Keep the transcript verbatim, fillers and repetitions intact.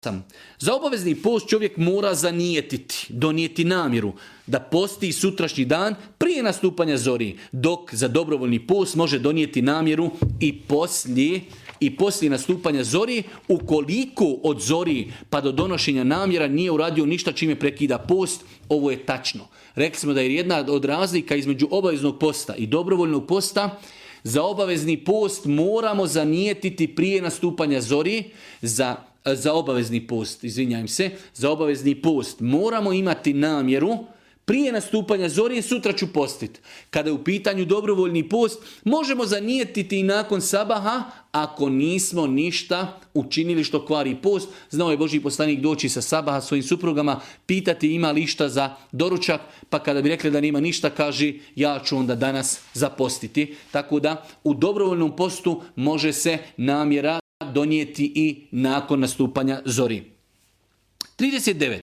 Sam. Za obavezni post čovjek mora zanijetiti, donijeti namjeru da posti sutrašnji dan prije nastupanja zori, dok za dobrovoljni post može donijeti namjeru i poslije, i poslije nastupanja zori, ukoliko od zori pa do donošenja namjera nije uradio ništa čime prekida post. Ovo je tačno. Rekli smo da je jedna od razlika između obaveznog posta i dobrovoljnog posta. Za obavezni post moramo zanijetiti prije nastupanja zori, za Za obavezni post, izvinjavam se, za obavezni post moramo imati namjeru prije nastupanja zori, sutra ću postiti. Kada je u pitanju dobrovoljni post, možemo zanijetiti i nakon sabaha, ako nismo ništa učinili što kvari post. Znao je Božji poslanik doći sa sabaha svojim suprugama, pitati ima li išta za doručak, pa kada bi rekli da nema ništa, kaže ja ću onda danas zapostiti. Tako da u dobrovoljnom postu može se namjera donijeti i nakon nastupanja zori. trideset devet.